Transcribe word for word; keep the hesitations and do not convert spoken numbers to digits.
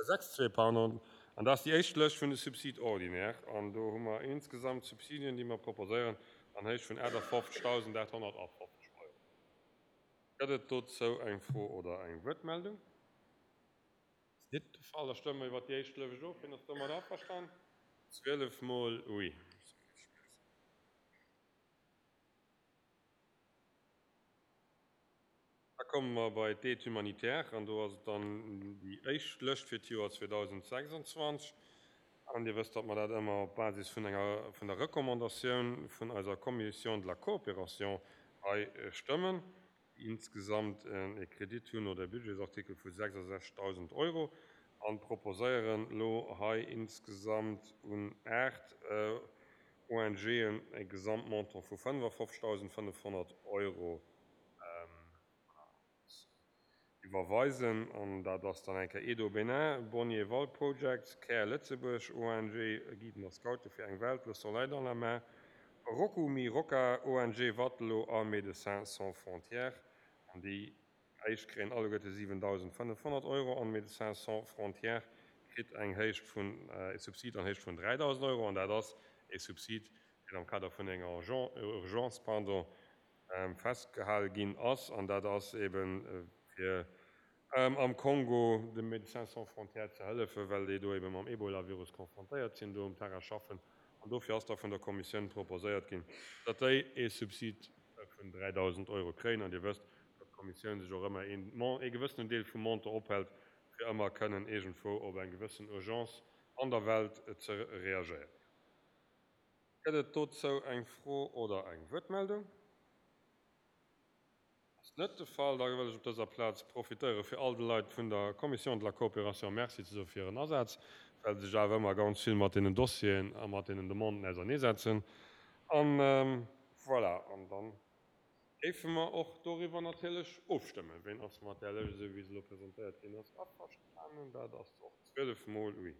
sechs zwee, pardon. An dat ass déi éischt Lëscht vun de Subsides ordinaires. An do hu mer insgesamt Subsidien, déi mer proposéieren, an Héicht vun achtefofzegdausendachthonnertafofzeg Euro. Gëtt et dozou eng Fro oder eng Wuertmeldung? Ass net de Fall. Da stëmme mer iwwert déi éischt Lëscht of. Wien ass domat averstan? Zwielef mol oui. Da komme mer bei d'Aide humanitaire an do ass et dann déi éischt Lëscht fir d'Joer zweedausendsechsundzwanzeg. An Dir wësst, datt mer dat ëmmer op Basis vun enger, vun der Recommandatioun vun eiser Commission de la Coopération hei stëmmen, déi insgesamt e Kredit hunn oder e Budgetsartikel vu sechsundsechzegdausend Euro an proposéieren elo hei insgesamt un aacht O N G'en e Gesamtmontant vu fënnefofzegdausendfënnefhonnert Euro iwwerweisen. An dat ass dann eng Kéier Edo Benin, Bonnier Wall Projects, Care Lëtzebuerg, O N G Guiden a Scoute fir eng Welt, Le Soleil dans la Main, Roku Mi Roca, O N G Wattelo a Médecins Sans Frontières. An déi éischt kréien alleguerte siwendausendfënnefhonnert Euro an Médecins Sans Frontières kritt eng Héicht vun, e Subsid an Héicht vun dräidausend Euro. An dat ass e Subsid, deen am Kader vun enger Urgence, pardon, festgehale ginn ass. An dat ass eben fir am Kongo de Médecins Sans Frontières ze hëllefen, well déi do eben mam Ebola-Virus konfrontéiert sinn, do um Terrain schaffen. An dofir ass da vun der Kommissioun proposéiert ginn, datt déi e Subsid vun dräidausend Euro kréien. An Dir wësst, datt d'Kommissioun sech och ëmmer een Mon-, ee gewëssenen Deel vum Montant ophält, fir ëmmer kënnen iergendwou op eng gewëssen Urgence an der Welt ze reagéieren. Gëtt et dozou eng Fro oder eng Wuertmeldung? Ass net de Fall. Da wëll ech op dëser Plaz profitéieren, fir all de Leit vun der Commission de la Coopération Merci ze soen fir hiren Asaz, well se sech awer ëmmer ganz vill mat deenen Dossieren a mat deenen Demanden auserneesetzen. An voilà, an dann géife mer och doriwwer natierlech ofstëmmen. Wien ass mat där Lëscht, esou wéi se elo presentéiert ginn ass, averstanen? Dat ass och zwielef mol oui.